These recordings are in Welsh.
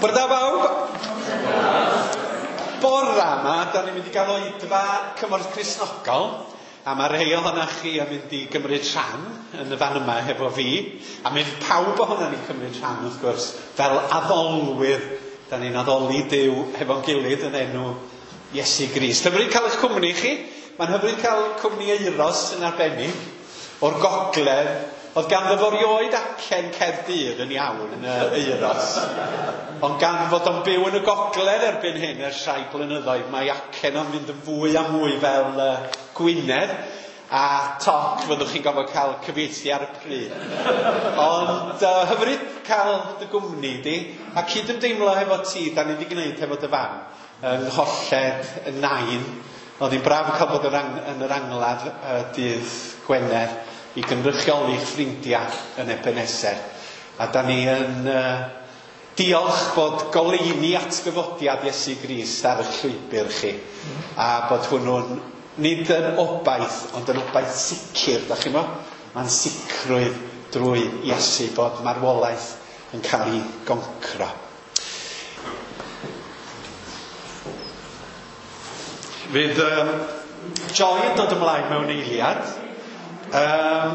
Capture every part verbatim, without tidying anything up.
Bore da bawb. Bora yma, da ni'n mynd i gael oedfa Cymorth Cristnogol, a mae rhai ohonoch chi yn mynd i gymryd rhan yn y fan yma hefo fi, a mynd pawb ohono ni'n cymryd rhan wrth gwrs, fel addolwyr. Da ni'n addoli Duw hefo'n gilydd yn enw Iesu Grist. Hyfryd cael eich cwmni chi. Mae'n hyfryd cael cwmni Euros yn arbennig o'r gogledd. Oedd ganddo fo rioed acen Caerdydd yn iawn yn Euros. Ond gan fod o'n byw yn y gogledd erbyn hyn ers rhai blynyddoedd, mae acen o'n mynd yn fwy a mwy fel uh, Gwynedd. A toc fyddwch chi'n gofod cael cyfieithu ar y pryd. Ond uh, hyfryd cael dy gwmni di, a cydymdeimlo hefo ti, da ni wedi gwneud hefo dy fam, yng ngholled y nain. Oedd hi'n braf cael bod yn, yn yr angladd uh, dydd Gwener i gynrychioli'ch ffrindiau yn Ebenezer. A da ni yn uh, diolch bod goleuni atgyfodiad Iesu Grist ar eich llwybr chi. A bod hwnnw'n nid yn obaith, ond yn obaith sicr, da chi mo? Mae'n sicrwydd drwy Iesu bod marwolaeth yn cael ei goncro. Fydd um, Joy yn dod ymlaen mewn eiliad. Um,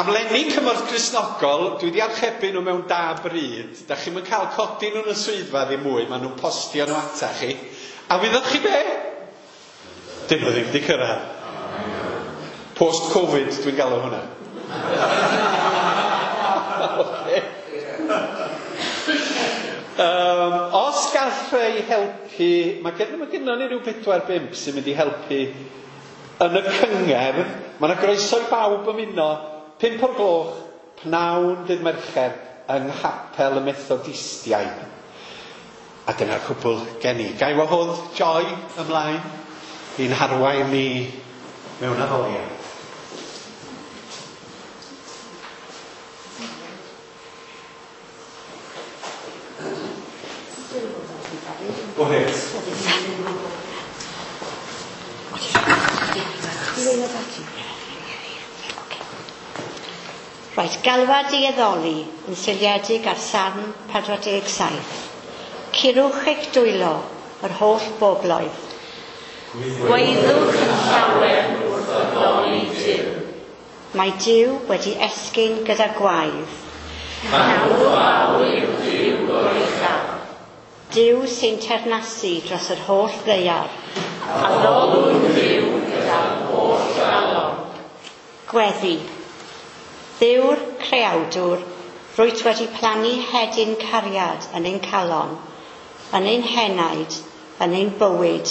amlenni Cymorth Cristnogol, dwi wedi archebu nhw mewn da bryd. Da chi'm yn cael codi nhw yn y swyddfa ddim mwy, maen nhw'n postio nhw ata chi. A wyddoch chi be? Dyn nhw ddim wedi cyrraedd. Post-Covid dwi'n galw hwnna. Okay. Um, os gall rhai helpu, mae gen, mae gennon ni ryw pedwar bump sy'n mynd i helpu yn y cyngerdd. Mae yna groeso i bawb ymuno, pump o'r gloch, pnawn dydd Mercher, yng Nghapel y Methodistiaid. A dyna'r cwbl gen i. Ga i wahodd Joy ymlaen i'n harwain ni mewn addoliad. Go ahead. Right, galwad i addoli yn seiliedig ar Salm pedwar deg saith. Curwch eich dwylo yr holl bobloedd. Gwaeddwch yn llawen wrth addoli Duw. Mae Duw wedi esgyn gyda gwaedd. Mawr fawr yw Duw goruchaf. Duw sy'n teyrnasu dros yr holl ddaear. Addolwn Duw gyda'r holl galon. Gweddi. Dduw'r creawdwr, rwyt wedi plannu hedyn cariad yn ein calon, yn ein henaid, yn ein bywyd.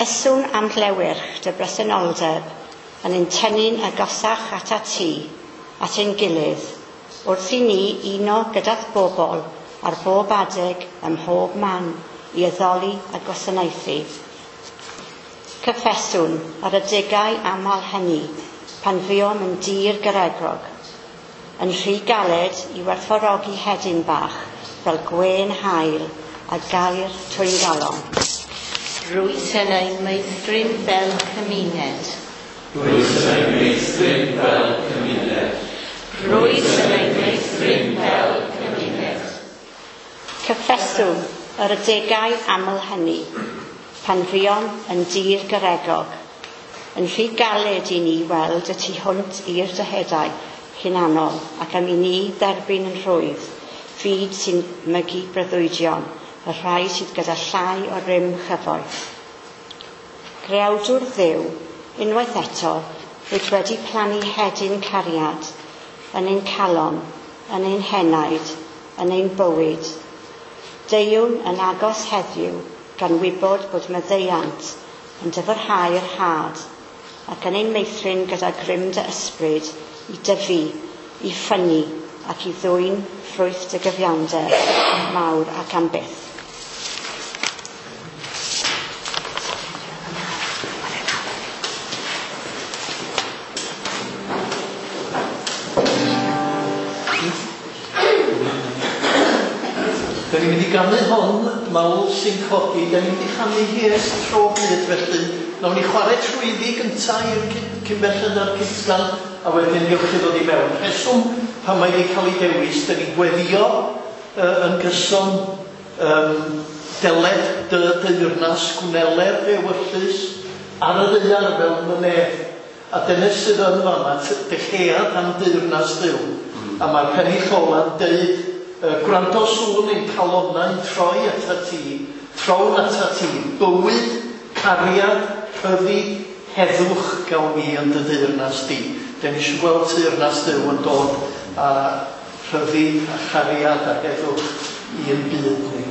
Yswn am llewyrch dy bresenoldeb, yn ein tynnu'n agosach atat ti, at ein gilydd, wrth i ni uno gyda'r bobl ar bob adeg ym mhob man i addoli a gwasanaethu. Cyffeswn ar adegau aml hynny pan fuom yn dir garegrog, yn rhy galed i werthfawrogi hedyn bach fel gwên haul a gair twyngalon. Rwyt yn ein meithrin fel cymuned. Rwyt yn ein meithrin fel cymuned. Rwyt yn ein meithrin fel cymuned. Cyffeswn yr adegau aml hynny, pan fuom yn dir garegog, yn rhy galed i ni weld y tu hwnt i'r dyheadau hunanol ac am i ni dderbyn yn rhwydd fyd sy'n mygu breuddwydion, y rhai sydd gyda llai o rym chyfoeth. Creawdwr Dduw, unwaith eto, rwyt wedi plannu hedyn cariad yn ein calon, yn ein henaid, yn ein bywyd. Deuwn yn agos heddiw gan wybod bod maddeuant yn dyfrhau'r had ac yn ein meithrin gyda grym dy ysbryd i dyfu, i ffynnu ac i ddwyn ffrwyth dy gyfiawnder mawr ac am byth. Da ni'n mynd i ganu hon, mawl sy'n codi, da ni'n mynd i chanu hi ers tro byd felly. Nawn ni chwarae trwyddi gynta i'r cyn belled a'r cytgan, a wedyn gewch chi ddod i mewn. Rheswm pan mae wedi cael ei dewis, da ni'n gweddio uh, yn gyson, um, deled dy deyrnas, gwneler dy ewyllys ar y ddaear fel yn y nef. A dyna sydd yn fan'na, dyhead am deyrnas Dduw. Mm. A mae'r pennill ola'n deud, uh, gwrando sŵn ein calonnau'n troi atat ti, trown atat ti, bywyd, cariad, rhyddid, heddwch gawn ni yn dy deyrnas di. Dan ni eisiau gweld teyrnas Dduw yn dod a rhyddid a chariad a heddwch i'n byd ni.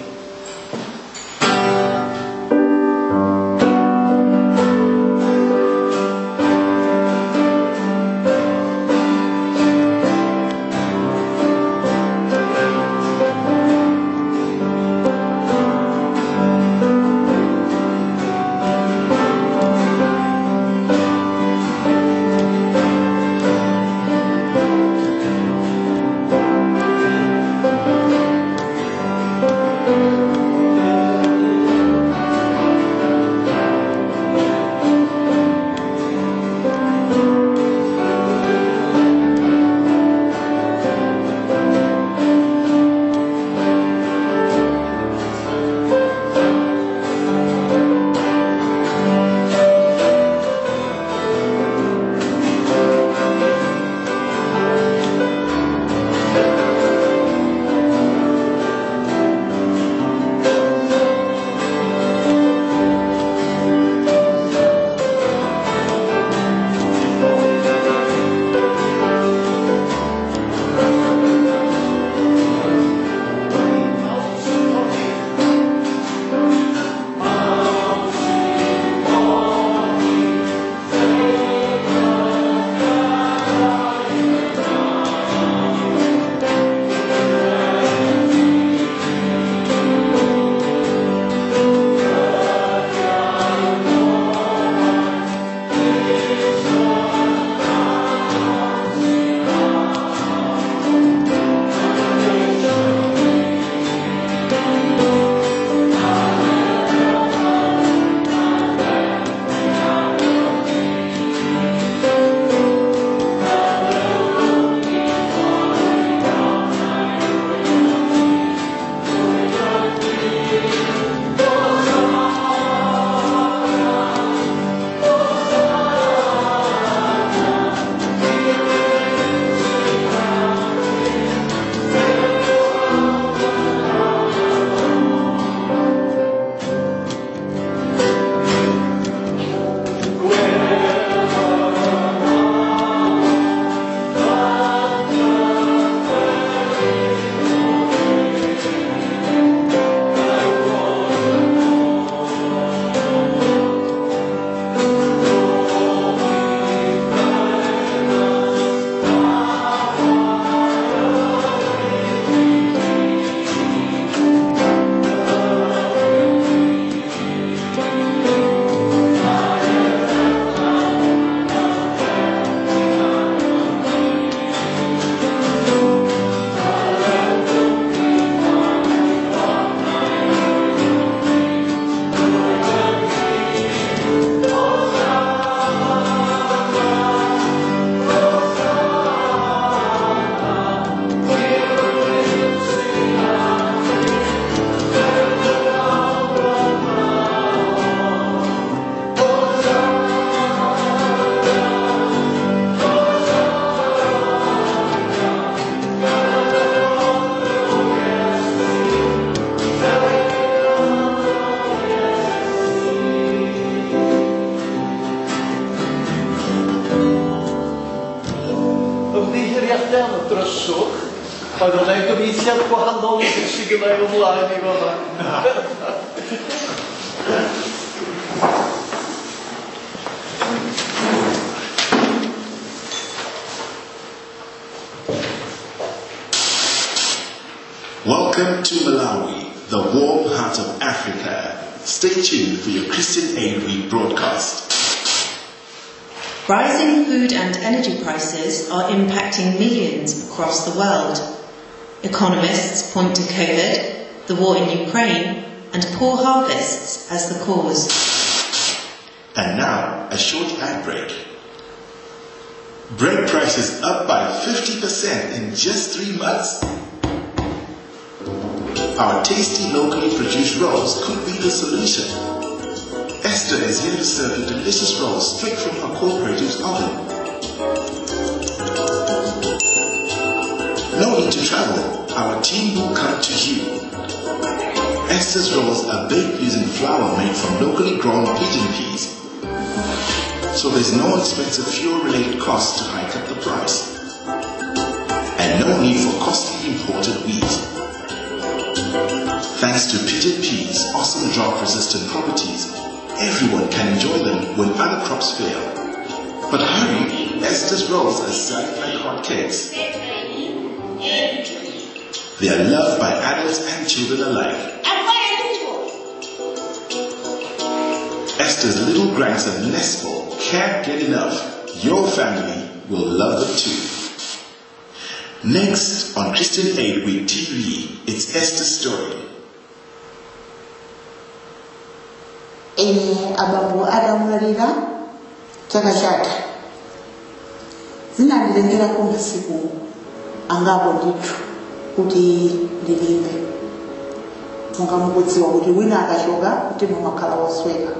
Ymddiheuriadau am y dryswch. Oedd hwnna'n gyfieithiad gwahanol i beth sydd gynna i o flaen i fan'na. Welcome to Malawi, the warm heart of Africa. Stay tuned for your Christian Aid Week broadcast. Rising food and energy prices are impacting millions across the world. Economists point to COVID, the war in Ukraine, and poor harvests as the cause. And now, a short ad break. Bread prices up by fifty percent in just three months. Our tasty locally produced rolls could be the solution. Esther is here to serve you delicious rolls straight from her cooperative's oven. No need to travel. Our team will come to you. Esther's rolls are baked using flour made from locally grown pigeon peas, so there's no expensive fuel-related costs to hike up the price, and no need for costly imported wheat. Thanks to pigeon peas' awesome drought-resistant properties, everyone can enjoy them when other crops fail. But hurry, Esther's rolls are selling like hotcakes. They are loved by adults and children alike. Esther's little grandson Nespo can't get enough. Your family will love them too. Next on Christian Aid Week T V, it's Esther's story. Ene abambo adamwalira chaka chatha zinandilengera masiku angapo ndithu kuti ndilimbe monga mukudziwa kuti wina akachoka mtima umakhala wosweka.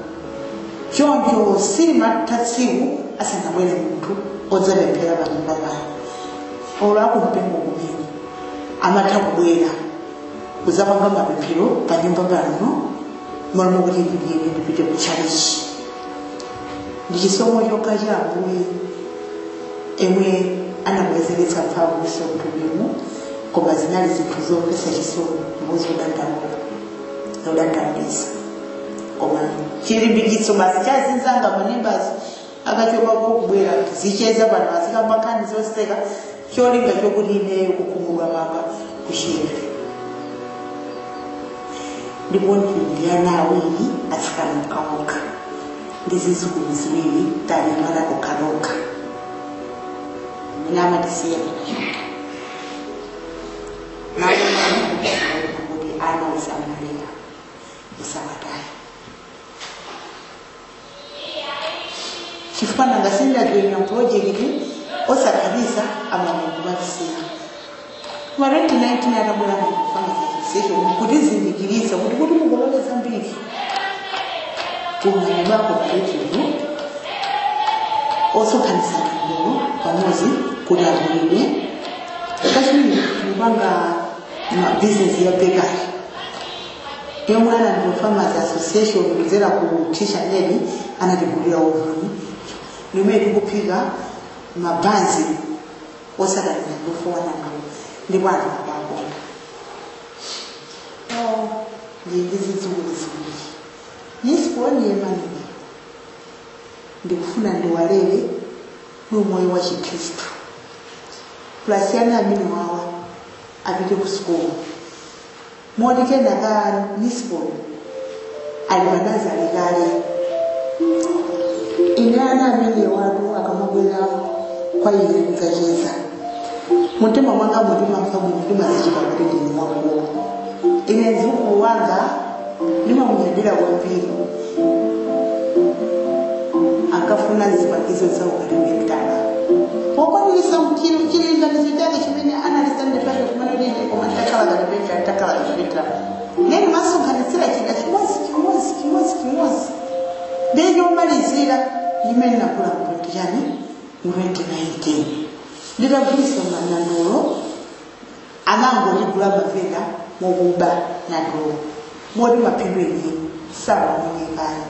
Choncho silimatha tsiku asanabwere munthu odzapemphera panyumba pano olo akumpingo kumene amatha kubwera kudzapanga mapemphero panyumba pano malo kuti ndiyende ndipite ku chalichi. Ndi chisomo chokha cha Ambuye emwe anabwezeretsa mphamvu mthupimu, koma zinali zinthu zomvetsa chisoni ndipo zodandaula zodandaulitsa. Koma chilimbikitso basi cha zinzanga manimbazi akachokapo kubwera tizicheza pano azikamba nkhani zoseka cholinga chokuti ineyo kukhumudwa kwanga kuchepe. Ndipo ndi ana awiri atsikana okhaokha ndi zidzukulu ziwiri talimana okhaokha amene amatisiya tikachoka. Kuti ana usamalira usawataye chifukwa nanga sindinajoyina project osakhalisa amamukumatisiya. Kuma twenty nineteen atabwera mukufanga association kutizindikirisa kuti kuti mukolole zambiri kumanyumba cooperative osonkhanitsa nandolo pamodzi kuti agulidwe. Kachiwiri tikupanga business ya bakery yomwe anandi Farmers Association kudzera ku Teacher Nedi anatigulira ovuni limene tikuphika mabanzi osakaniza ndofowa nandolo ndipo anthu akuakonda. Ndi zidzukulu ziwiri nisiponi Emmanuel ndikufuna ndiwalere ndi umoyo wa chikhristu plus ana amene wawa apite ku sukulu moti kenaka nisiponi ali panazale kale. Ine ana amene watu akamabwera kwa ine kudzacheza mumtima mwanga mutimamva bwino ndimazichita kuti ndine wakulu. Ine mdzukulu wanga ndimamunyadira kwambiri akafuna zipangizo za ukalipentala pokwaniritsa chilinganizo chake chimene analisandipake kumene koma takhala kalipentala takhala kalipentala neni masonkhanitsira chida chimodzi chimodzi chimodzi chimodzi ndiye chomalizira limene nakula mu twenty chani mu twenty nineteen nditagulitsa nandolo anangotigula mavenda mokuba nandolo moti maphindu enieni samaonekana.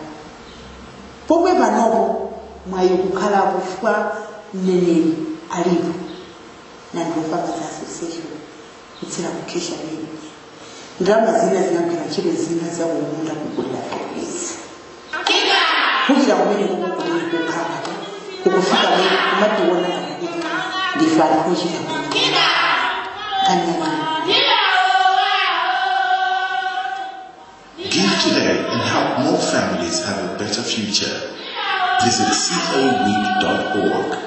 Pomwe panopo mwayi kukhalapo chifukwa mneneri alipo Nandolo Farmers Association kudzera ku Kesha Lady. Ndalama zina zinagwira ntchito zina zakumunda kugulira fertilizer. Kuchira kumene kukumene kukhala kukufika mene kumationa ngati kuti ndife anthu ochita bwino. Kanyamani. Give today and help more families have a better future. Visit c a week dot org.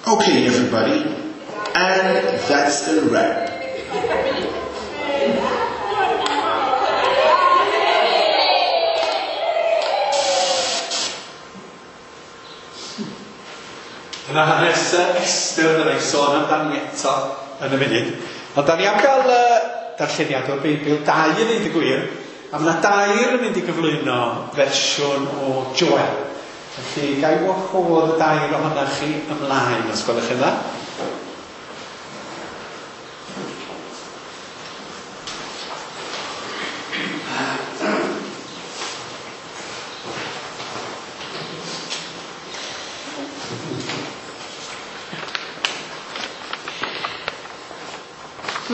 Okay, everybody, and that's a wrap. Yna hanes Esther fydda i'n sôn amdani eto yn y munud. Ond da ni am gael uh, darlleniad o'r Beibl, dau i ddeud y gwir, a mae yna dair yn mynd i gyflwyno fersiwn o Joel. Felly, ga i wahodd y dair ohonoch chi ymlaen, os gwelwch yn dda.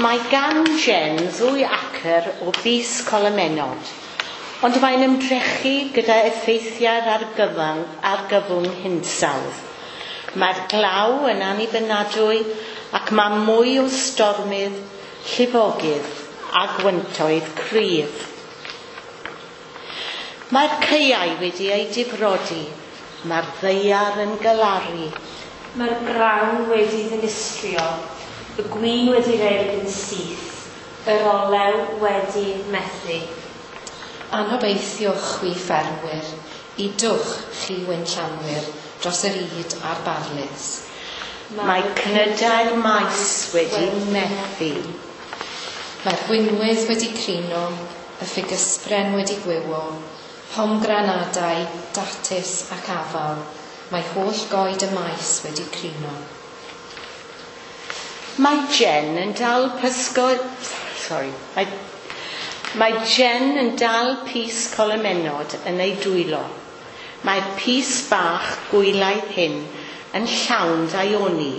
Mae gan Jen ddwy acr o bys colomennod, ond mae'n ymdrechu gyda effeithiau'r argyfwng, argyfwng hinsawdd. Mae'r glaw yn annibynadwy ac mae mwy o stormydd, llifogydd a gwyntoedd cryf. Mae'r caeau wedi eu difrodi, mae'r ddaear yn galaru. Mae'r grawn wedi ddinistrio, y gwin wedi rhedeg yn syth, yr olew wedi methu. Anobeithiwch chwi ffermwyr, udwch chi winllanwyr dros yr ŷd a'r barlys. Mae cnydau'r maes wedi methu. Mae'r gwinwydd wedi crino, y ffigysbren wedi gwywo, pomgranadau, datys ac afal, mae holl goed y maes wedi crino. Mae Jen yn dal pysgod... Sorry. Mae, mae Jen yn dal pys colomennod yn ei dwylo. Mae'r pys bach gwylaidd hyn yn llawn daioni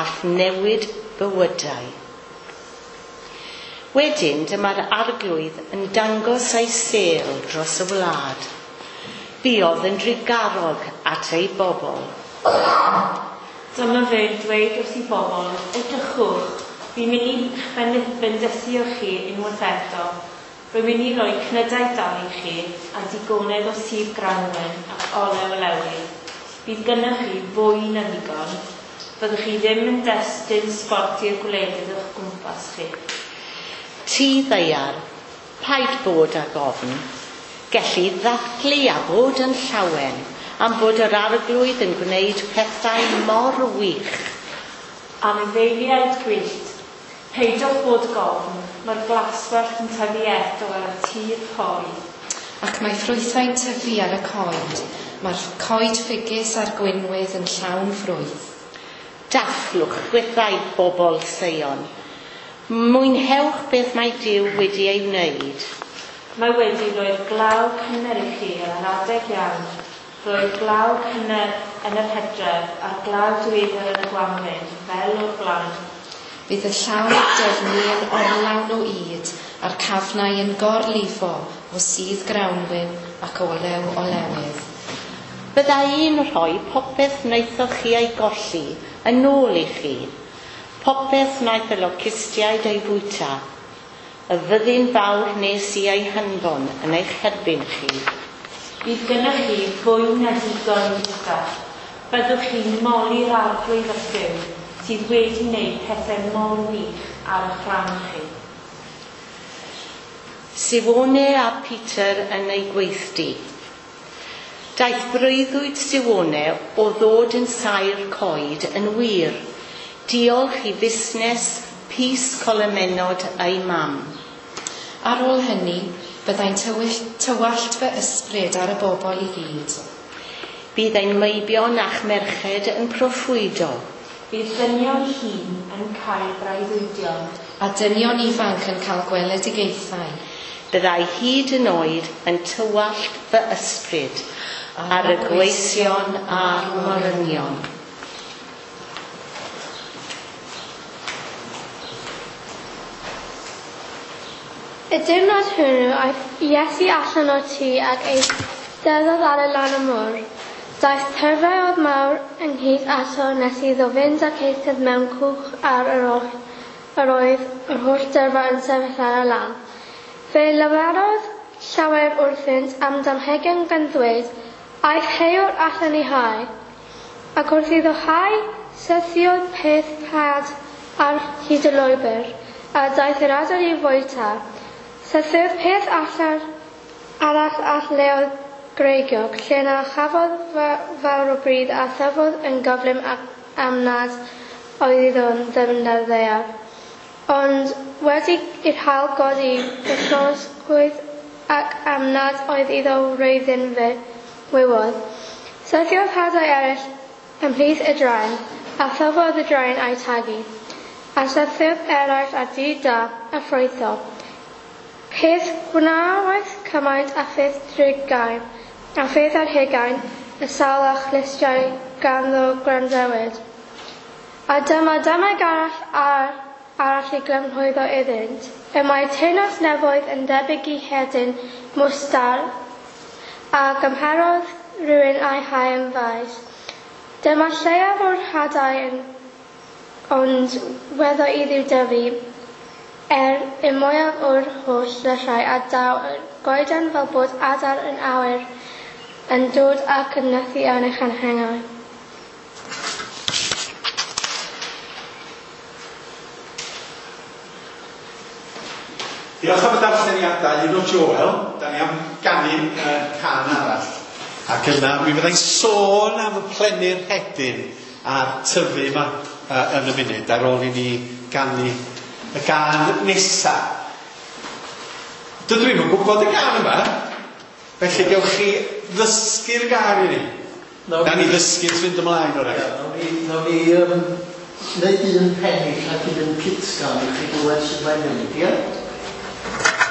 a newid bywydau. Wedyn dyma'r arglwydd yn dangos ei sêl dros y wlad. Buodd yn drugarog at ei bobl. Dyma fe'n dweud wrth i bobl, edrychwch, fi'n mynd i bendithio chi unwaith eto. Rwy'n mynd i roi cnydau da i chi a digonedd o sudd grawnwin ac olew olewydd. Bydd gennych chi fwy na ddigon. Fyddwch chi ddim yn destun sbort i'r gwledydd o'ch gwmpas chi. Ti ddaear, paid bod ag ofn. Gelli ddathlu a bod yn llawen am bod yr arglwydd yn gwneud pethau mor wych. Anifeiliaid gwyllt, peidiwch bod gofn, mae'r glaswellt yn tyfu eto ar y tir pori. Ac mae ffrwythau'n tyfu ar y coed, mae'r coed ffigys a'r gwinwydd yn llawn ffrwyth. Dathlwch chwithau bobl Seion. Mwynhewch beth mae Duw wedi ei wneud. Mae wedi rhoi'r glaw cynnar i chi ar yr adeg iawn. Roedd glaw cynnar yn yr hydref a'r glaw diweddar yn y gwanwyn, fel o'r blaen. Bydd y llawr dyfni yn orlawn o ŷd a'r cafnau yn gorlifo o sudd grawnwin ac olew olewydd. Bydda i'n rhoi popeth wnaethoch chi ei golli yn ôl i chi, popeth wnaeth y locustiaid ei fwyta, y fyddin fawr nes i ei hanfon yn eich herbyn chi. Bydd gennych chi fwy na digon i fwyta. Byddwch chi'n moli'r arglwydd a Duw sydd wedi wneud pethau mor wych ar eich rhan chi. Siwone a Peter yn ei gweithdy. Daeth breuddwyd Siwone o ddod yn saer coed yn wir. Diolch i fusnes pys colomennod ei mam. Ar ôl hynny, byddai'n tywallt fy ysbryd ar y bobl i gyd. Bydd ein meibion a'ch merched yn proffwydo. Bydd dynion hŷn yn cael breuddwydion. A dynion ifanc yn cael gweledigaethau. Byddai hyd yn oed yn tywallt fy ysbryd ar y gweision a'r morynion. Y diwrnod hwnnw aeth Iesu allan o'r tŷ ac eisteddodd ar y lan y môr. Daeth tyrfaoedd mawr ynghyd ato nes iddo fynd ac eistedd mewn cwch ar yr oll, yr oedd yr holl dyrfa yn sefyll ar y lan. Fe lefarodd llawer wrthynt am damhegion gan ddweud, aeth heuwr allan i hau. Ac wrth iddo hau, syrthiodd peth had ar hyd y lwybr, a daeth yr adar i fwyta. Syrthiodd peth allan arall at leoedd greigiog, lle na chafodd fawr o bridd a thyfodd yn gyflym ac am nad oedd iddo ddyfnder ddaear. Ond wedi i'r haul godi, fe llosgwyd ac am nad oedd iddo wreiddyn fe wywodd. Syrthiodd hadau eraill ymhlith y draen, a thyfodd y draen a'i tagu. A syrthiodd eraill ar dir da a ffrwytho. Peth gwnaeth cymaint a pheth drigain, a pheth ar hugain, y sawl a chlustiau ganddo gwrandewid. A dyma dymeg arall ar, arall i glymhwyddo iddynt. Y mae teyrnas nefoedd yn debyg i hedyn mwstard, a gymherodd rhywun a'i hau yn faes. Dyma lleiaf o'r hadau yn, ond weddo iddiw dyfu, er y mwyaf o'r holl lysiau a daw y goeden fel bod adar yn awyr yn dod ac yn nythu yn ei changhennau. Diolch am y darlleniadau un o Joel. Da ni am ganu uh, cân arall. Ac yna mi fyddai'n sôn am y plennu'r hedyn a'r tyfu yma uh, yn y munud ar ôl i ni ganu y gân nesa. Dydw i'm yn gwybod y gân yma, felly gewch chi ddysgu'r gân i ni. Na ni ddysgu wrth fynd ymlaen o'r Ia, nawn ni, nawn ni um, neud un pennill ac un cytgan i chi glywed sut mae'n mynd, ia? Thank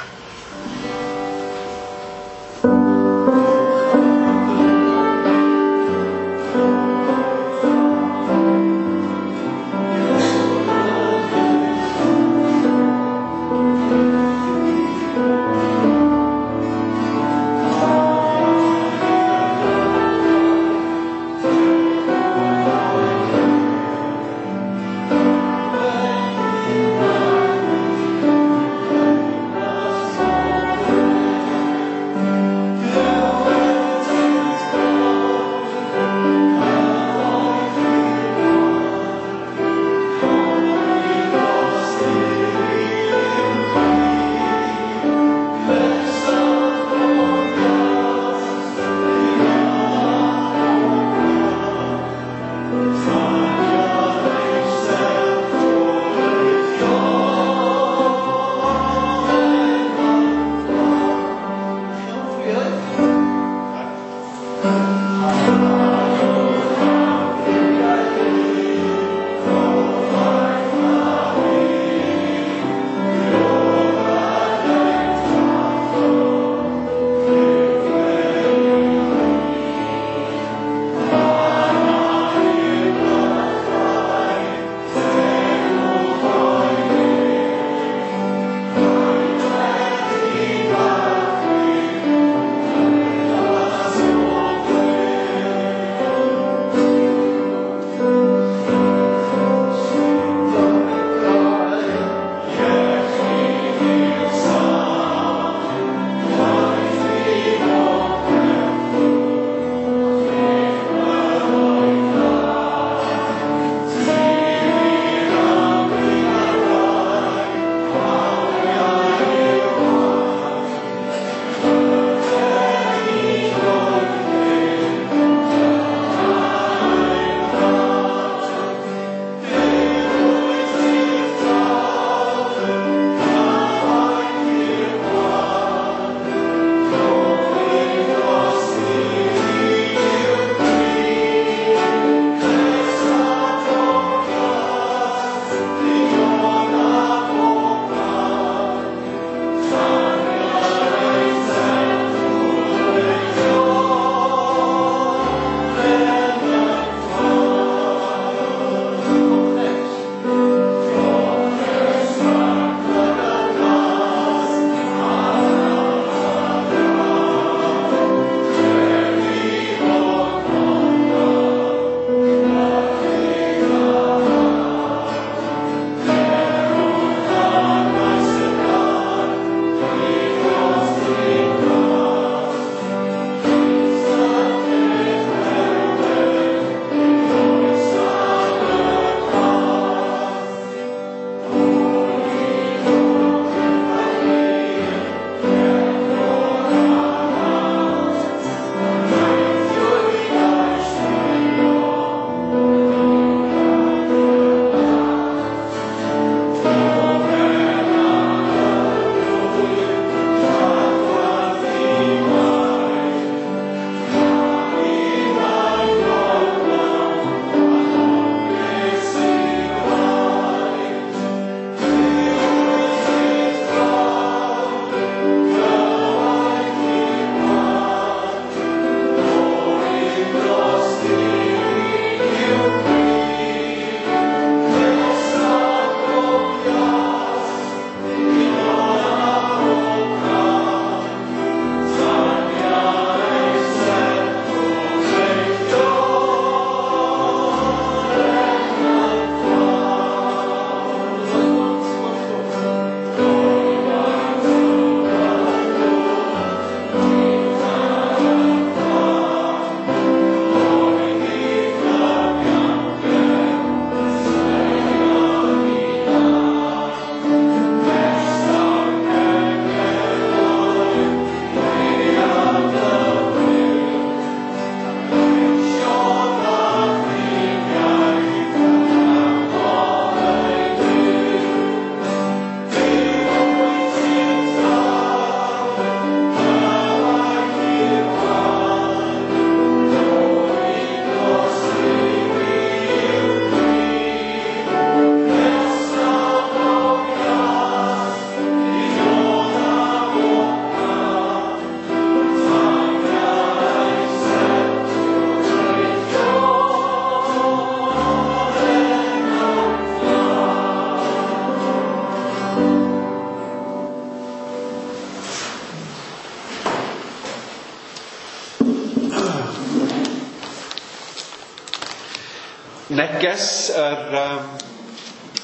Neges yr um,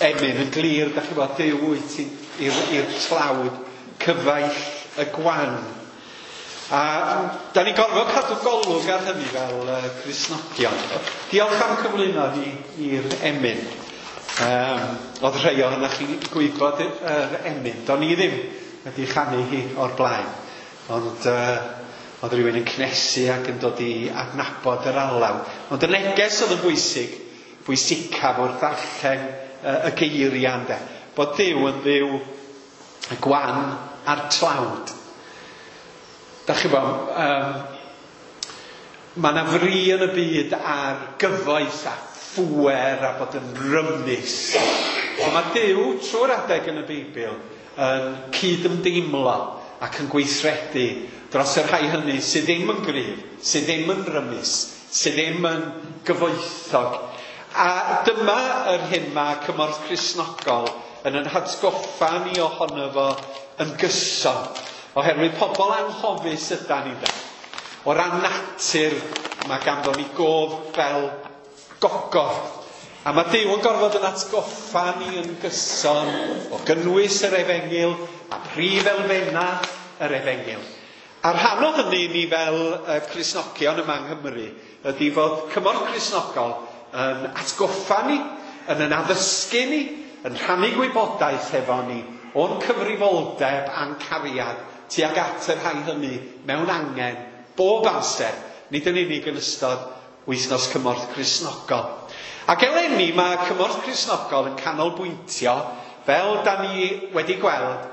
emyn yn glir, da chi bod, Duw wyt ti i'r tlawd, cyfaill y gwan. A da ni'n gorfod cadw golwg ar hynny fel uh, Cristnogion. Diolch am cyflwyno ni i'r emyn. Um, oedd rhai ohonoch chi'n gwybod yr emyn. Do'n i ddim wedi chanu hi o'r blaen. Ond uh, oedd rhywun yn cnesu ac yn dod i adnabod yr alaw. Ond y neges oedd yn bwysig, bwysicaf wrth ddarllen uh, y geiriau ynde. Bod Duw yn Dduw y gwan a'r tlawd. Da chi bo, um, mae yna fri yn y byd ar gyfoeth a phŵer a bod yn rymus. Ond mae Duw trwy'r adeg yn y Beibl yn cydymdeimlo ac yn gweithredu dros y rhai hynny sydd ddim yn gryf, sydd ddim yn rymus, sydd ddim yn gyfoethog. A dyma yr hyn mae Cymorth Cristnogol yn yn hatgoffa ni ohono fo yn gyson. Oherwydd pobl anghofus ydan ni da. O ran natur, mae ganddo ni gof fel gogof. A mae Duw yn gorfod yn atgoffa ni yn gyson o gynnwys yr efengyl a prif elfenna yr efengyl. A rhan o hynny ni fel uh, Cristnogion yma yng Nghymru ydy fod Cymorth Cristnogol yn atgoffa ni, yn yn addysgu ni, yn rhannu gwybodaeth efo ni o'n cyfrifoldeb a'n cariad tuag at y rhai hynny mewn angen bob amser, nid yn unig yn ystod wythnos Cymorth Cristnogol. Ac eleni mae Cymorth Cristnogol yn canolbwyntio, fel da ni wedi gweld,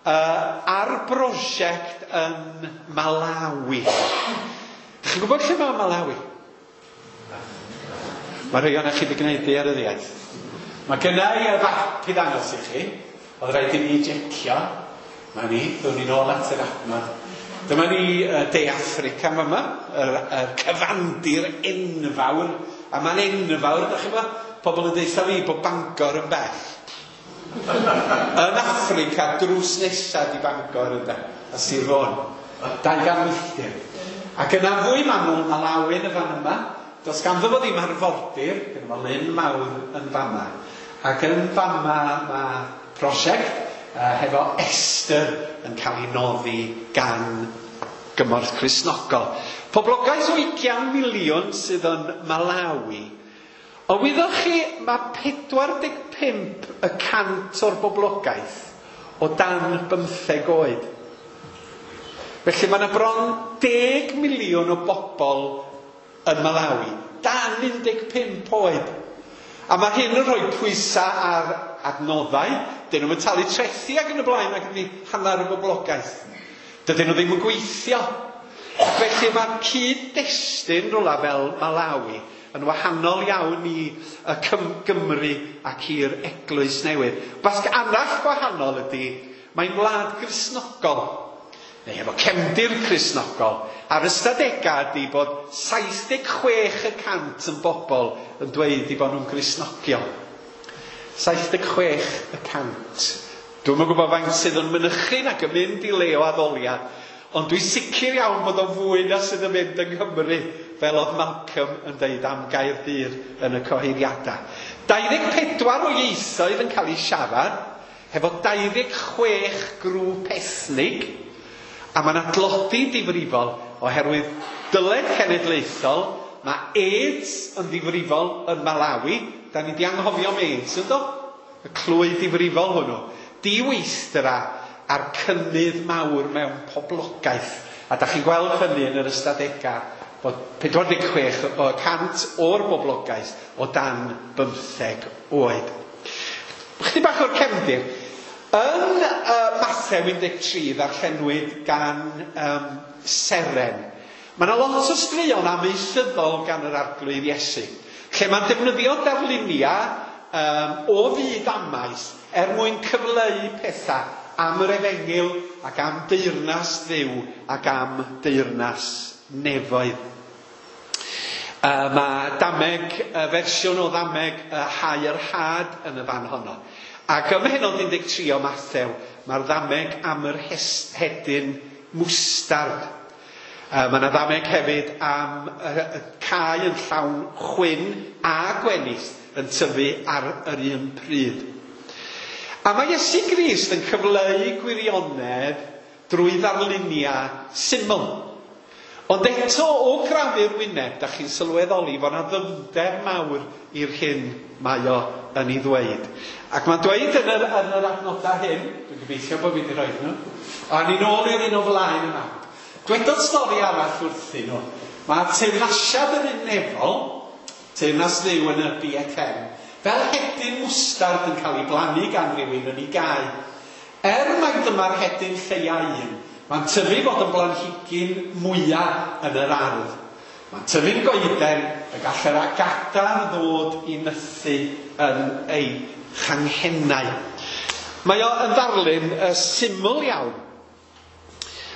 uh, ar brosiect yn Malawi. Dych chi'n gwybod lle mae Malawi? Mae rhai ohonoch chi wedi gwneud daearyddiaeth. Mae gynna i y fap i ddangos i chi. Oedd rhaid i ni jecio. Mae ni, ddown ni'n ôl at yr adnod. Dyma ni De Affrica yma, yr, yr cyfandir enfawr. A mae'n enfawr, ydych chi'n gwybod? Pobl yn deutha fi bod Bangor yn bell. Yn Affrica, drws nesaf di Bangor ynde, a Sir Fôn. dau gan milltir. Ac yna fwy manwl, Malawi yn y fan yma. Does ganddo fo ddim arfordir, gyda fo lyn mawr yn fama. Ac yn fama mae prosiect uh, hefo Esther yn cael ei noddi gan Gymorth Cristnogol. Poblogaeth o ugain miliwn sydd yn Malawi. O wyddoch chi, mae pedwar deg pump y cant o'r boblogaeth o dan bymtheg oed. Felly mae yna bron deg miliwn o bobl yn Malawi, dan un deg pump oed. A mae hyn yn rhoi pwysau ar adnoddau. Dyn nhw'n talu trethi ac yn y blaen ac ydy hanner y boblogaeth. Dydyn nhw ddim yn gweithio. Felly mae cyd-destun rhywle fel Malawi yn wahanol iawn i y Gymru ac i'r Eglwys Newydd. Basg arall gwahanol ydy, mae'n wlad Gristnogol, neu efo cefndir Cristnogol. A'r ystadegau ydy bod saith deg chwech y cant yn bobl yn dweud i bod nhw'n Gristnogion. saith deg chwech y cant. Dwi'm yn gwybod faint sydd yn mynychu nac yn mynd i le o addoliad, ond dwi'n sicr iawn bod o'n fwy na sydd yn mynd yng Nghymru, fel oedd Malcolm yn deud am Gaerdydd yn y cyhoeddiadau. dau ddeg pedwar o ieithoedd yn cael eu siarad, hefo dau ddeg chwech grŵp ethnig, a mae yna dlodi difrifol oherwydd dyled cenedlaethol. Mae AIDS yn ddifrifol yn Malawi. Da ni di anghofio am AIDS, ynddo? Y clwy difrifol hwnnw. Diweithdra a'r cynnydd mawr mewn poblogaeth. A da chi'n gweld hynny yn yr ystadegau bod pedwar deg chwech y cant o'r boblogaeth o dan bymtheg oed. Chydig bach o'r cefndir. Yn uh, Mathew un deg tri ddarllenwyd gan um, Seren. Mae yna lot o straeon amaethyddol gan yr Arglwydd Iesu, lle mae'n defnyddio darluniau um, o fyd amaeth er mwyn cyfleu pethau am yr efengyl ac am deyrnas Dduw ac am deyrnas nefoedd. Uh, mae dameg, y fersiwn o ddameg uh, hau yr had yn y fan honno. Ac ym mhennod un deg tri o Mathew, mae'r ddameg am yr hedyn mwstard. Uh, mae yna ddameg hefyd am uh, y cae yn llawn chwyn a gwenith yn tyfu ar yr un pryd. A mae Iesu Grist yn cyfleu gwirionedd drwy ddarluniau syml. Ond eto o grafu'r wyneb, da chi'n sylweddoli fod yna ddyfnder mawr i'r hyn mae o yn ei ddweud. Ac mae'n dweud yn yr, yn yr adnodau hyn, dwi'n gobeithio bod fi wedi rhoi nhw, a ni'n ôl i'r un o flaen yma. Dwedodd stori arall wrthyn nhw. Mae teyrnasiad yr un nefol, teyrnas Dduw yn y B F M, fel hedyn mwstard yn cael ei blannu gan rywun yn ei gae. Er mai dyma'r hedyn lleia un, mae'n tyfu fod yn blanhigyn mwyaf yn yr ardd. Mae'n tyfu'n goeden y gall yr agadar ddod i nythu yn ei changhennau. Mae o yn ddarlun uh, syml iawn.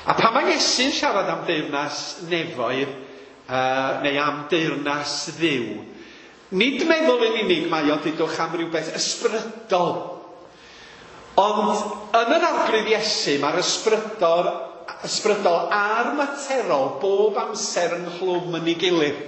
A pan mae Iesu'n siarad am deyrnas nefoedd, uh, neu am deyrnas Dduw, nid meddwl yn unig mae o dudwch am rhywbeth ysbrydol. Ond yn yr Arglwydd Iesu mae'r ysbrydol, ysbrydol a'r materol bob amser ynghlwm yn ei gilydd.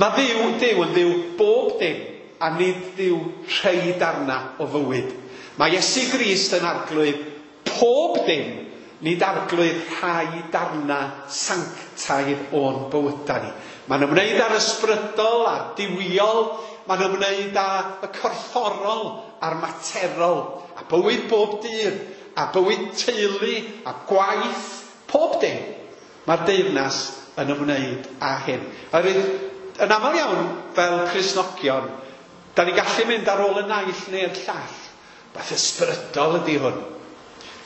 Mae Dduw, Duw yn Dduw bob dim, a nid Dduw rhai darna o fywyd. Mae Iesu Grist yn arglwydd pob dim, nid arglwydd rhai darna sanctaidd o'n bywydau ni. Mae'n ymwneud â'r ysbrydol a'r duwiol, mae'n ymwneud â y corfforol a'r materol, a bywyd bob dydd, a bywyd teulu, a gwaith, pob dim. Mae'r deyrnas yn ymwneud â hyn. Oherwydd, yn aml iawn, fel Cristnogion, da ni gallu mynd ar ôl y naill neu'r llall. Beth ysbrydol ydy hwn.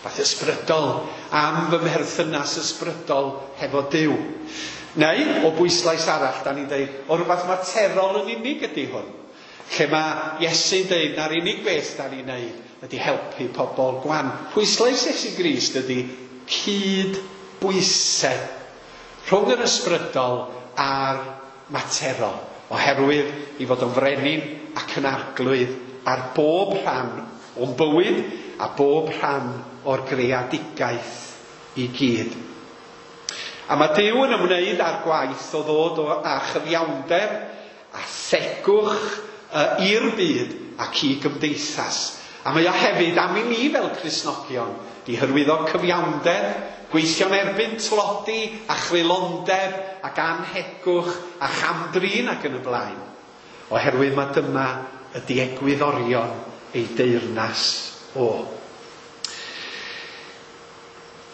Beth ysbrydol am fy mherthynas ysbrydol hefo Duw. Neu, o bwyslais arall, da ni'n deud, o rhywbeth materol yn unig ydy hwn. Lle mae Iesu'n deud na'r unig beth da ni'n neud ydy helpu pobl gwan. Pwyslais Iesu Grist ydy cyd-bwysedd rhwng yr ysbrydol a'r materol, oherwydd i fod yn frenin ac yn arglwydd ar bob rhan o'n bywyd a bob rhan o'r greadigaeth i gyd. A mae Duw yn ymwneud â'r gwaith o ddod o, â chyfiawnder a thegwch uh, i'r byd ac i gymdeithas. A mae o hefyd am i ni fel Cristnogion di hyrwyddo cyfiawnder, gweithio'n erbyn tlodi a chreulondeb ac anhegwch a chamdrin ac yn y blaen. Oherwydd mae dyma ydy egwyddorion ei deyrnas o.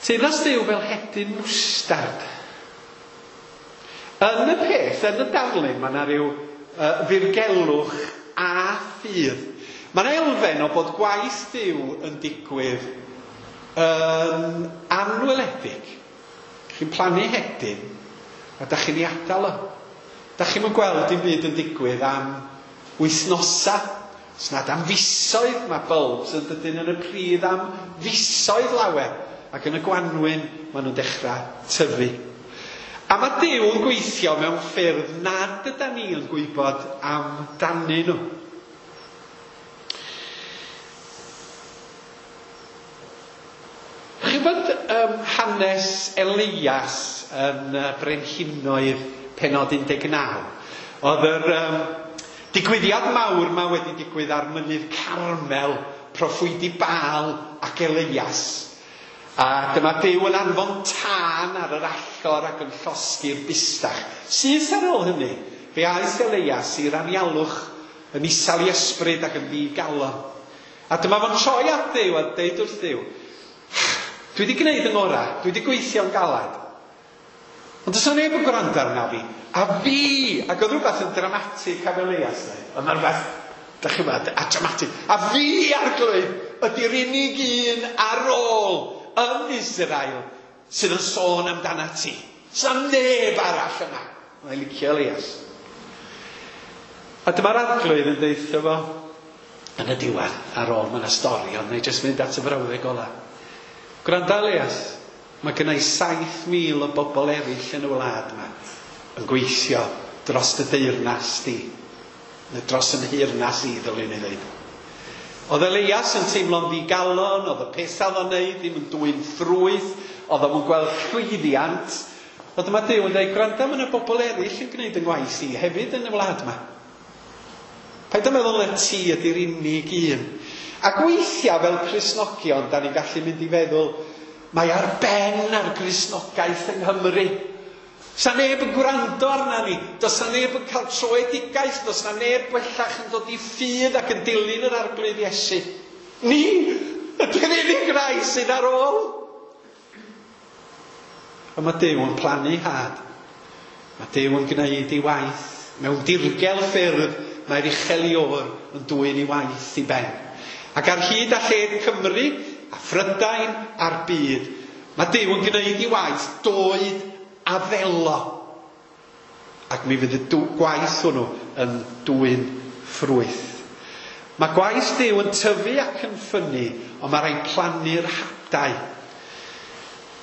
Teyrnas Duw fel hedyn mwstard. Yn y peth, yn y darlun, mae yna rhyw uh, ddirgelwch a ffydd. Mae yna elfen o bod gwaith Duw yn digwydd yn anweledig. Chi'n plannu hedyn a da chi'n ei adael o. Da chi'm yn gweld dim byd yn digwydd am wythnosa. Os nad am fisoedd, mae bulbs yn dydyn yn y pridd am fisoedd lawer. Ac yn y gwanwyn maen nhw'n dechrau tyfu. A mae Duw yn gweithio mewn ffyrdd nad ydan ni yn gwybod amdanyn nhw. Chi'n gwybod um, hanes Elias yn uh, Brenhinoedd penod un deg naw? Oedd yr um, digwyddiad mawr ma wedi digwydd ar mynydd Carmel, proffwydi Baal ac Elias. A dyma Duw yn anfon tân ar yr allor ac yn llosgi'r bustach. Syth ar ôl hynny, fe aeth Elias i'r anialwch yn isel i ysbryd ac yn ddigalon. A dyma fo'n troi at Dduw a deud wrth Dduw, dwi wedi gwneud yng ngorau, dwi wedi gweithio'n galad. Ond does 'na neb yn gwrando arna fi. A fi, ac oedd rhywbeth yn dramatig am Elias, oedd yna rhywbeth, da chi'n gwybod, a dramatig. A fi, Arglwydd, ydy'r unig un ar ôl yn Israel sydd yn sôn amdana ti. Sa neb arall yma. Mae'n licio Elias. A dyma'r Arglwydd yn deutha fo yn y diwedd ar ôl, mae yna stori, ond neu jyst mynd at y frawddeg ola. Gwranda Elias, mae gynna i saith mil o bobl eraill yn y wlad yma yn gweithio dros y deyrnas di, neu dros yn nheyrnas i, ddylwn i ddweud. Oedd Elias yn teimlo'n ddigalon, oedd y pethau oedd o'n neud ddim yn dwyn ffrwyth, oedd o'n gweld llwyddiant. Ond dyma Duw yn dweud, gwranda, mae yna bobl eraill yn gwneud yng ngwaith i hefyd yn y wlad yma. Paid â meddwl na ti ydy'r unig un. Ac weithiau fel Cristnogion, da ni'n gallu mynd i feddwl, mae ar ben ar Gristnogaeth yng Nghymru. Sa neb yn gwrando arna ni, does na neb yn cael troedigaeth, does na neb bellach yn dod i ffydd ac yn dilyn yr Arglwydd Iesu. Ni ydy'r unig rai sydd ar ôl. Ond mae Duw yn plannu had. Mae Duw yn gwneud ei waith. Mewn dirgel ffyrdd mae'r uchel Iôr yn dwyn ei waith i ben. Ac ar hyd a lled Cymru, a Phrydain a'r byd, mae Duw yn gwneud ei waith doed a ddelo. Ac mi fydd y gwaith hwnnw yn dwyn ffrwyth. Mae gwaith Duw yn tyfu ac yn ffynnu, ond mae rhaid plannu'r hadau.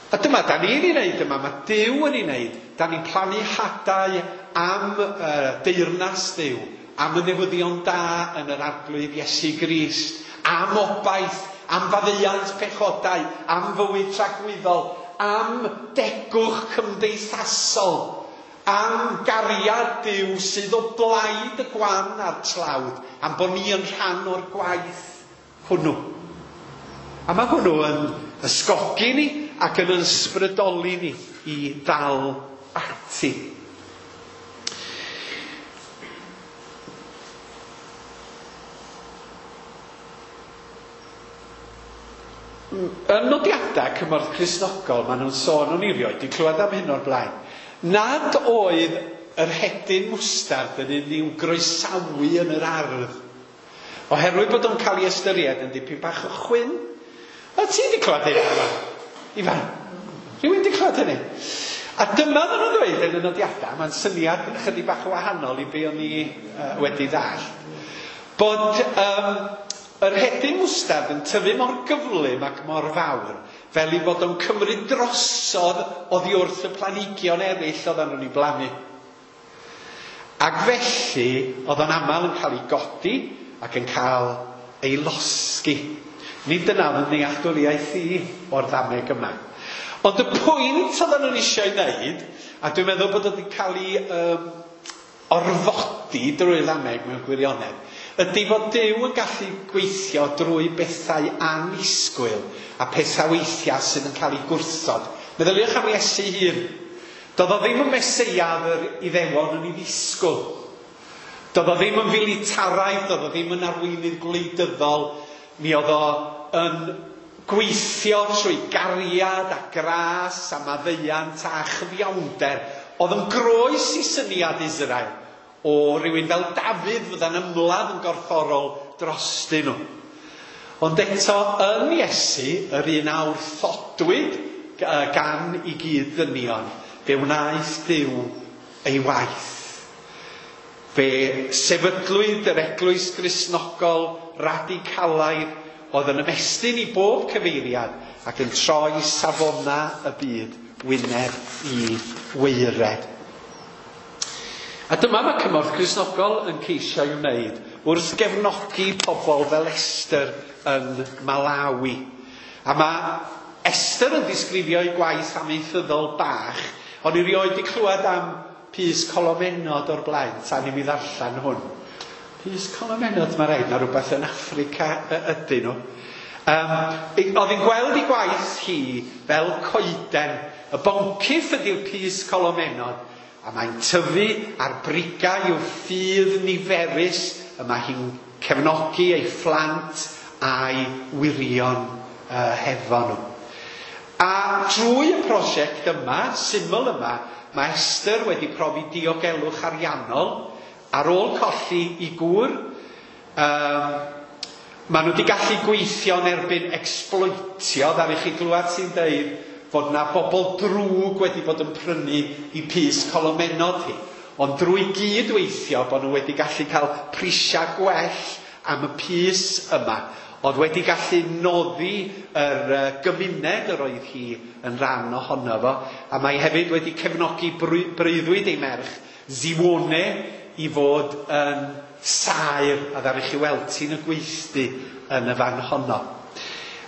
A dyma, da ni'n ei wneud yma, mae Duw yn ei wneud. Da ni'n plannu hadau am uh, deyrnas Duw, am y newyddion da yn yr Arglwydd Iesu Grist, am obaith, am faddeuant pechodau, am fywyd tragwyddol, am degwch cymdeithasol, am gariad Duw sydd o blaid y gwan a'r tlawd, am bod ni yn rhan o'r gwaith hwnnw. A mae hwnnw yn ysgogi ni ac yn ysbrydoli ni i ddal ati. Yn nodiadau Cymorth Cristnogol, maen nhw'n sôn, o'n i rioed 'di clywed am hyn o'r blaen, nad oedd yr hedyn mwstard yn un i'w groesawu yn yr ardd, oherwydd bod o'n cael ei ystyried yn dipyn bach o chwyn. A ti 'di clywed hynny, Ifan? Ifan? Rhywun 'di clywed hynny? A dyma oedden nhw'n dweud yn y nodiadau, mae'n syniad chydig bach o wahanol i be o'n i uh, wedi ddallt, bod um, yr hedyn mwstard yn tyfu mor gyflym ac mor fawr, fel i fod o'n cymryd drosodd oddi wrth y planhigion eraill oedden nhw'n ei blannu. Ac felly, oedd o'n aml yn cael ei godi ac yn cael ei losgi. Nid dyna oedd yn nealltwriaeth i o'r ddameg yma. Ond y pwynt oedden nhw'n eisiau ei wneud, a dwi'n meddwl bod wedi cael ei um, orfodi drwy'r ddameg mewn gwirionedd, ydy fod Duw yn gallu gweithio drwy bethau annisgwyl a pethau weithiau sydd yn cael ei gwrthod. Meddyliwch am Iesu hun. Doedd o ddim yn Meseia yr Iddewon yn ei ddisgwyl. Doedd o ddim yn filitaraidd, doedd o ddim yn arweinydd gwleidyddol. Mi oedd o yn gweithio trwy gariad a gras a maddeuant a chyfiawnder. Oedd yn groes i syniad Israel o rywun fel Dafydd fydda'n ymladd yn gorfforol drostyn nhw. Ond eto yn Iesu, yr un a wrthodwyd gan i gyd ddynion, fe wnaeth Duw ei waith. Fe sefydlwyd yr eglwys Gristnogol radicalaidd oedd yn ymestyn i bob cyfeiriad ac yn troi safona y byd wyneb i waered. A dyma mae Cymorth Cristnogol yn ceisio i'w wneud wrth gefnogi pobl fel Esther yn Malawi. A mae Esther yn disgrifio ei gwaith amaethyddol bach, ond i rioed wedi clywed am pys colomenod o'r blaen, tan i mi ddarllen hwn. Pys colomenod, mae rhaid, na rhywbeth yn Affrica ydyn nhw. Um, oedd hi'n gweld ei gwaith hi fel coeden. Y boncyff ydy'r pys colomenod, a mae'n tyfu ar brigau i'w ffydd niferus, y mae hi'n cefnogi ei phlant a'i wirion uh, hefo nhw. A drwy y prosiect yma, syml yma, mae Esther wedi profi diogelwch ariannol ar ôl colli i gŵr. Um, maen nhw wedi gallu gweithio yn erbyn exploitio, ddaru chi glywed sy'n deud fod na bobl drwg wedi bod yn prynu i pys colomenod hi. Ond drwy gydweithio bod nhw wedi gallu cael prisiau gwell am y pys yma. Oedd wedi gallu noddi yr gymuned yr oedd hi yn rhan ohono fo. A mae hefyd wedi cefnogi breuddwyd ei merch, Ziwone, i fod yn saer a ddaru chi weld ti'n y gweithdy yn y fan honno.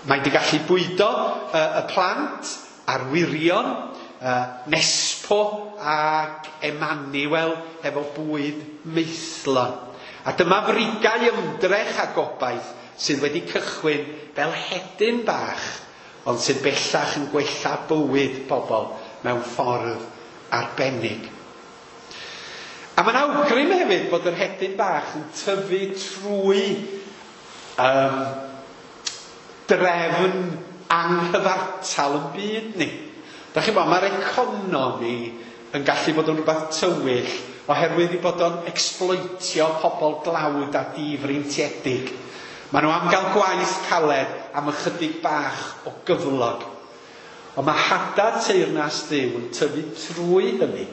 Mae wedi gallu bwydo uh, y plant a'r wirion, uh, Nespo Dato ac Emmanuel efo bwyd maethlon. A dyma frigau ymdrech a gobaith sydd wedi cychwyn fel hedyn bach, ond sydd bellach yn gwella bywyd pobl mewn ffordd arbennig. A mae'n awgrym hefyd bod yr hedyn bach yn tyfu trwy um, drefn anghyfartal yn byd ni. Da chi'n bod, mae'r economi yn gallu bod yn rhywbeth tywyll oherwydd i bod o'n exploitio pobl dlawd a difreintiedig. Maen nhw am gael gwaith caled am ychydig bach o gyflog. Ond mae hada teyrnas Dduw yn tyfu trwy hynny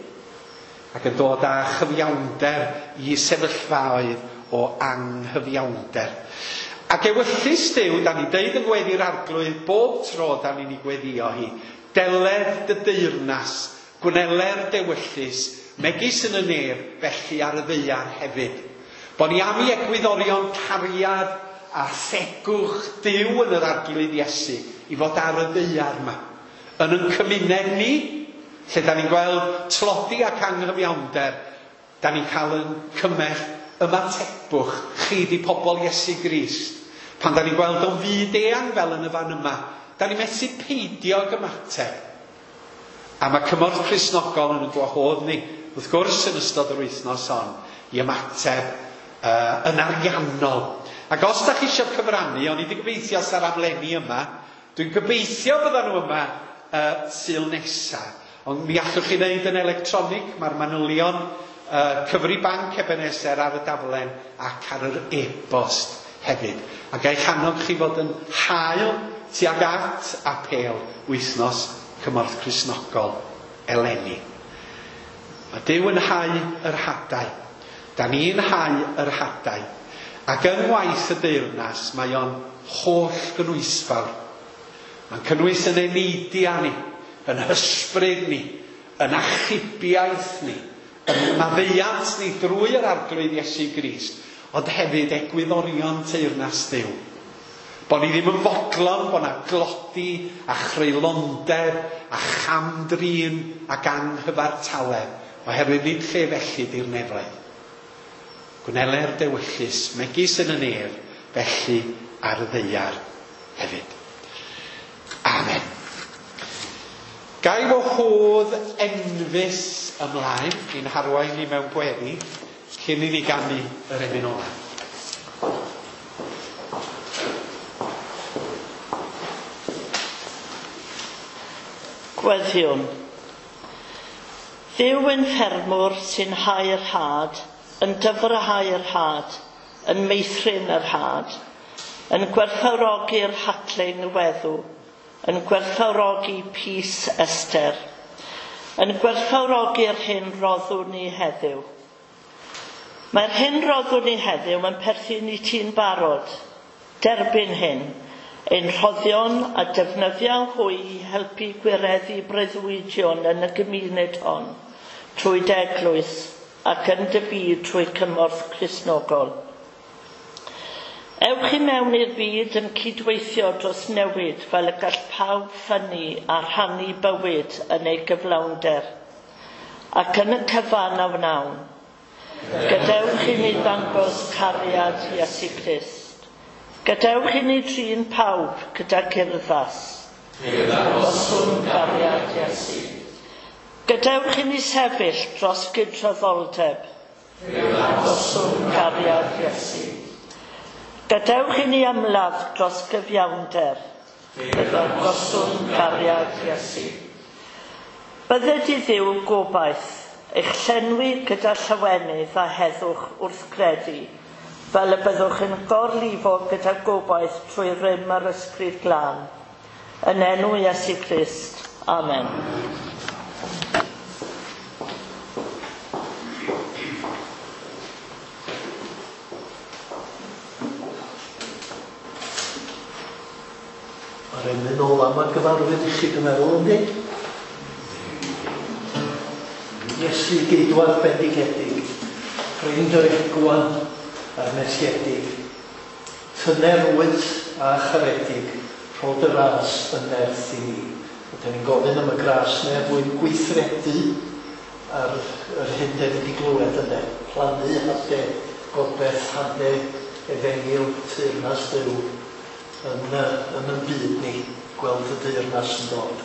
ac yn dod â chyfiawnder i sefyllfaoedd o anghyfiawnder. Ac ewyllys Duw, da ni'n deud yn gweddi'r Arglwydd bob tro da ni'n ei gweddio hi, deled dy deyrnas, gwneler dewyllys, megis yn y nef, felly ar y ddaear hefyd. Bo ni am i egwyddorion cariad a thegwch Duw yn yr Arglwydd Iesu i fod ar y ddaear yma. Yn ein cymuned ni, lle da ni'n gweld tlodi ac anghyfiawnder, da ni'n cael yn cymell ymatebwch chi di pobl Iesu Grist. Pan da ni'n gweld o'n fyd eang fel yn y fan yma, da ni'n methu peidio ag ymateb. A mae Cymorth Cristnogol yn y gwahodd ni, wrth gwrs yn ystod yr wythnos hon, i ymateb uh, yn ariannol. Ac os da chi eisiau cyfrannu, o'n i wedi gobeithio sa'r amlenni yma, dwi'n gobeithio byddan nhw yma uh, Sul nesa. Ond mi allwch chi wneud yn electronig, mae'r manylion uh, cyfri banc Ebenezer ar y daflen ac ar yr e-bost hefyd. A ga i'ch annog chi fod yn hael tuag at apêl wythnos Cymorth Cristnogol eleni. Mae Duw yn hau yr hadau. Da ni'n hau yr hadau. Ac yng ngwaith y deyrnas mae o'n holl gynhwysfawr. Mae'n cynnwys yn eneidiau ni, yn hysbryd ni, yn achubiaeth ni, yn maddeuant ni drwy yr Arglwydd Iesu Grist, ond hefyd egwyddorion teyrnas Duw. Bo ni ddim yn fodlon, bo na glodi a chreulondeb a chamdrin ac anghyfartaledd, oherwydd nid lle felly di'r nefoedd. Gwneler dewyllys, megis yn y nef, felly ar y ddaear hefyd. Amen. Gai wahodd Enfys ymlaen i'n harwain ni mewn gweddi cyn i ni ganu yr emyn ola. Gweddiwn. Dduw yn ffermwr sy'n hau'r had, yn dyfrhau'r had, yn meithrin yr had, yn gwerthfawrogi'r hadling weddw, yn gwerthfawrogi pys Esther, yn gwerthfawrogi'r hyn roddwn ni heddiw. Mae'r hyn roddwn ni heddiw yn perthyn i ti'n barod. Derbyn hyn, ein rhoddion a defnyddio hwy i helpu gwireddu breuddwydion yn y gymuned hon, trwy d'eglwys ac yn dy byd trwy cymorth Cristnogol. Ewch i mewn i'r byd yn cydweithio dros newid fel y gall pawb ffynnu a rhannu bywyd yn ei gyflawnder, ac yn y cyfan a wnawn. Gadewch i ni ddangos cariad Iesu Grist. Gadewch i ni drin pawb gyda urddas. Dangoswn gariad Iesu. Gadewch i ni sefyll dros gydraddoldeb. Dangoswn gariad Iesu. Gadewch i ni ymladd dros gyfiawnder. Dangoswn gariad Iesu. Bydded i Dduw gobaith, eich llenwi gyda llawenydd a heddwch wrth gredu, fel y byddwch yn gorlifo gyda gobaith trwy rym yr Ysbryd Glân. Yn enw Iesu Grist. Amen. Mae'r emyn ola ma'n gyfarwydd i chi, dwi'n meddwl, yndi? Iesu geidwad bendigedig, ffrind yr egwan a'r messiedig, tyner wyt a charedig, rhod y ras yn nerth i ni. A dan ni'n gofyn am y gras neu er mwyn gweithredu ar yr hyn dan ni wedi glywed ynde. Plannu hade gobeith, hade efengyl, teyrnas Duw yn, yn yn byd ni, gweld y deyrnas yn dod.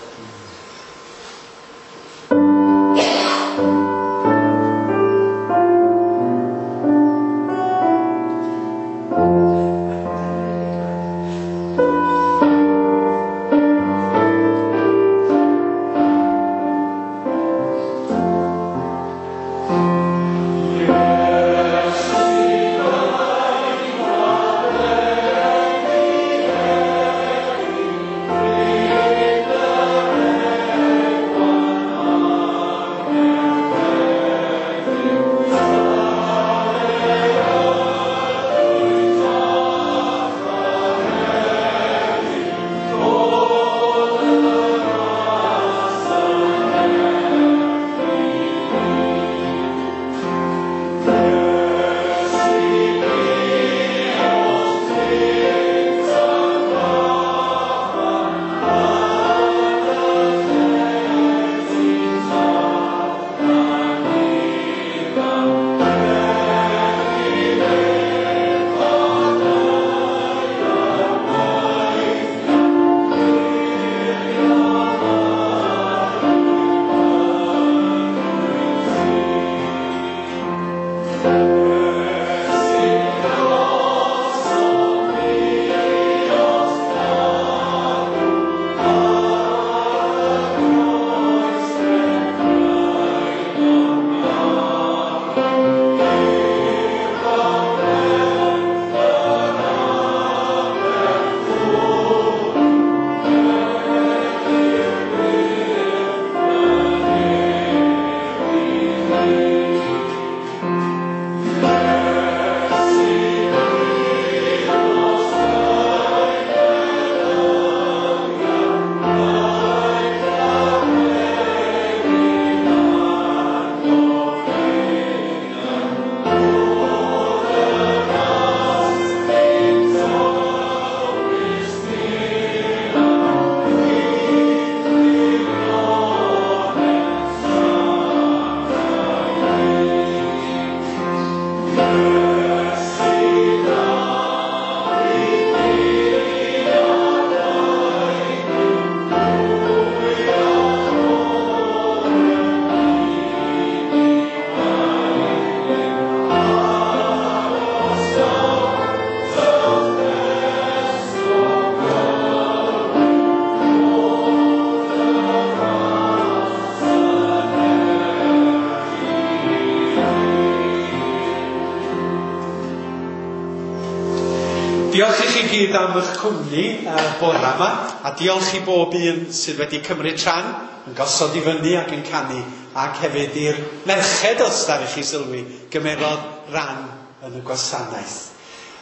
Diolch i chi gyd am eich cwmni uh, bore yma, a diolch i bob un sydd wedi cymryd rhan yn gosod i fyny ac yn canu, ac hefyd i'r merched os ddaru chi sylwi gymerodd ran yn y gwasanaeth.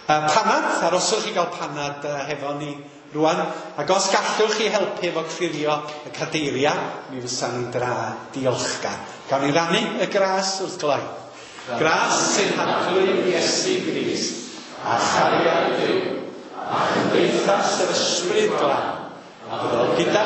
Uh, panad, aroswch i gael panad uh, hefo ni rwan, ac os gallwch chi helpu efo clirio y cadeiriau, mi fysa ni'n dra diolchgar. Gawn ni rannu y gras wrth gloi. Gras sy'n Arglwydd Iesu Grist, a chariad Duw, a chymdeithas yr Ysbryd Glân, a fyddo gyda